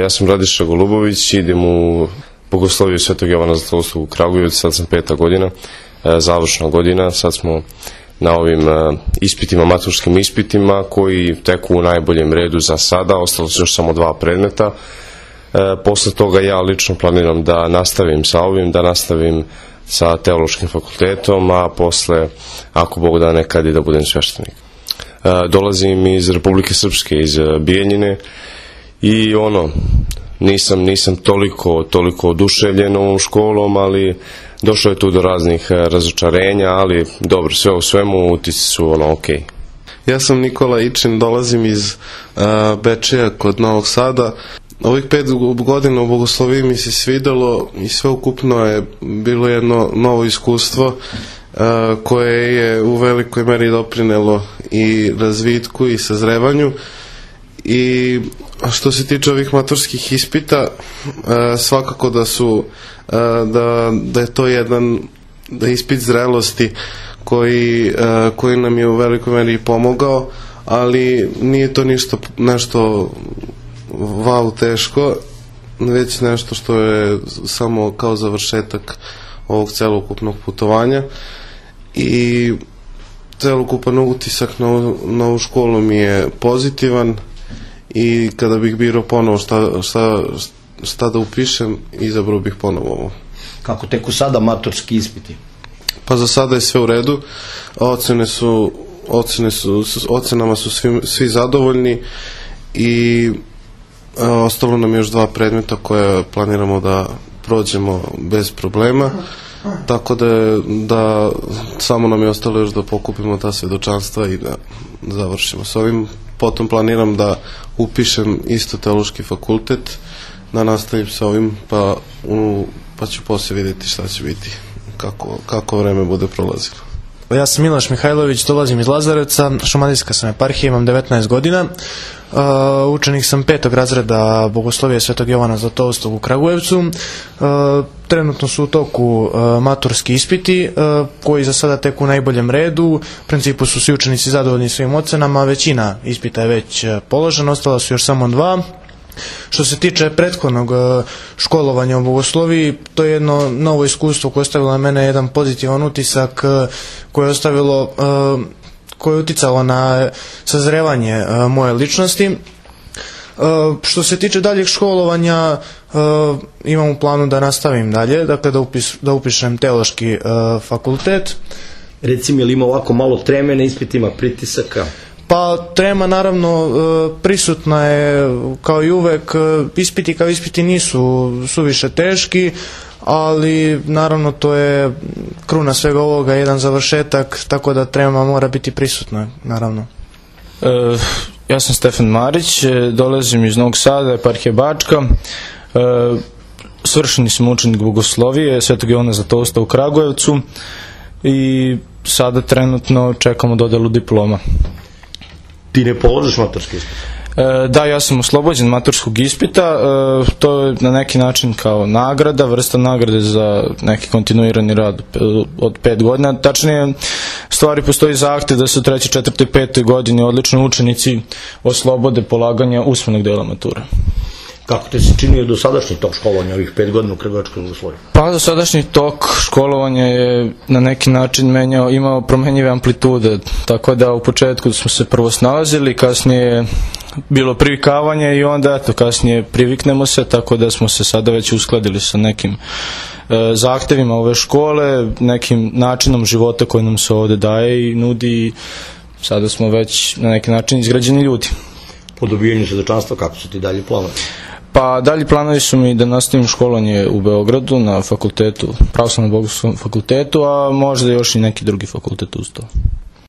Ja sam Radiša Golubović, idem u Bogosloviju Svetog Jovana Zlatoustog u Kragujevcu, sad sam 5. godina, završna godina, sad smo na ovim ispitima, maturskim ispitima koji teku u najboljem redu za sada, ostalo su još samo 2 predmeta. Posle toga ja lično planiram da nastavim sa ovim, da nastavim sa teološkim fakultetom, a posle, ako Bog da, nekad i da budem sveštenik. Dolazim iz Republike Srpske, iz Bijeljine i nisam toliko oduševljen ovom školom, ali došlo je tu do raznih razočarenja, ali dobro, sve u svemu utisci su okej. Ja sam Nikola Ičin, dolazim iz Bečeja kod Novog Sada. Ovih 5 godina u Bogosloviji mi se svidelo i sveukupno je bilo jedno novo iskustvo koje je u velikoj meri doprinelo i razvitku i sazrevanju. I što se tiče ovih maturskih ispita, svakako da je to jedan ispit zrelosti koji nam je u velikoj meri pomogao, ali nije to nešto wow teško, već nešto što je samo kao završetak ovog celokupnog putovanja. I celokupan utisak na ovu školu mi je pozitivan i kada bih birao ponovo šta da upišem, izabrao bih ponovo ovo. Kako teku sada maturski ispiti? Pa za sada je sve u redu, ocenama su svi zadovoljni i ostalo nam još 2 predmeta koje planiramo da prođemo bez problema, tako da samo nam je ostalo još da pokupimo ta svedočanstva i da završimo s ovim. Potom planiram da upišem isto teološki fakultet, da nastavim sa ovim, pa ću poslije vidjeti šta će biti, kako vreme bude prolazilo. Ja sam Miloš Mihajlović, dolazim iz Lazarevca, šumadijska sam eparhija, imam 19 godina. Učenik sam 5. razreda Bogoslovije Svetog Jovana Zlatoustog u Kragujevcu. Trenutno su u toku maturski ispiti koji za sada teku u najboljem redu. U principu su svi učenici zadovoljni svojim ocenama, većina ispita je već položena, ostala su još samo 2. Što se tiče prethodnog školovanja u Bogosloviji, to je jedno novo iskustvo koje je ostavilo na mene jedan pozitivan utisak, koje je uticalo na sazrevanje moje ličnosti. Što se tiče daljeg školovanja, imam u planu da nastavim dalje, dakle da upišem teološki fakultet. Recimo, je li ima ovako malo treme na ispitima, pritisaka? Pa trema naravno prisutna je kao i uvek, ispiti kao ispiti nisu suviše teški, ali naravno to je kruna svega ovoga, jedan završetak, tako da trema mora biti prisutna, naravno. Ja sam Stefan Marić, dolazim iz Novog Sada, eparhija Bačka, svršeni sam učenik Bogoslovije Svetog Jovana Zlatousta u Kragujevcu i sada trenutno čekamo dodelu diploma. Ti ne položiš maturski ispit? Da, ja sam oslobođen maturskog ispita, to je na neki način kao nagrada, vrsta nagrade za neki kontinuirani rad od 5 godina. Tačnije, stvari postoji zahtev da se u 3., 4. i 5. godini odlični učenici oslobode polaganja usmenog dela mature. Kako te se činio dosadašnji tok školovanja ovih 5 godina u Kragujevčkom Bogosloviju? Pa dosadašnji tok školovanja je na neki način imao promenjive amplitude, tako da u početku smo se prvo snalazili, kasnije bilo privikavanje i onda kasnije priviknemo se, tako da smo se sada već uskladili sa nekim zahtevima ove škole, nekim načinom života koji nam se ovde daje i nudi i sada smo već na neki način izgrađeni ljudi. Po dobijanju svedočanstva, kako su ti dalje planovi? Pa dalji planovi su mi da nastavim školovanje u Beogradu na fakultetu, Pravoslavnom bogoslovnom fakultetu, a možda još i neki drugi fakultet uz to.